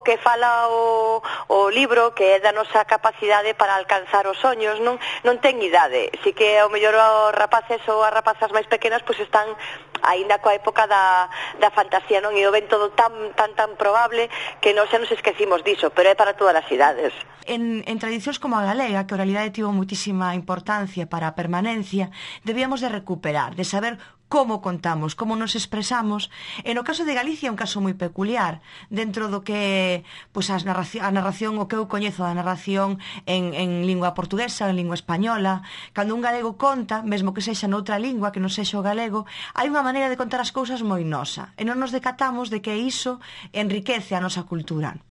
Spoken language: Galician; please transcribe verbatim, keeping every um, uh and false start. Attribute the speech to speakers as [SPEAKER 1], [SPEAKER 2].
[SPEAKER 1] que fala o, o libro, que é da nosa capacidade para alcanzar os soños, non non ten idade. Si que ao mellor os rapaces ou as rapazas máis pequenas pois están aínda coa época da, da fantasía, non? E o ven todo tan tan tan probable que non xa nos esquecimos diso, pero é para todas as idades.
[SPEAKER 2] En, en tradicións como a galega, que a oralidade tivo muitísima importancia para a permanencia, debíamos de recuperar, de saber como contamos, como nos expresamos. E no caso de Galicia é un caso moi peculiar, dentro do que pois, as narración, a narración, o que eu coñezo da narración en, en lingua portuguesa, en lingua española, cando un galego conta, mesmo que sexa noutra lingua, que non sexa o galego, hai unha maneira de contar as cousas moi nosa, e non nos decatamos de que iso enriquece a nosa cultura.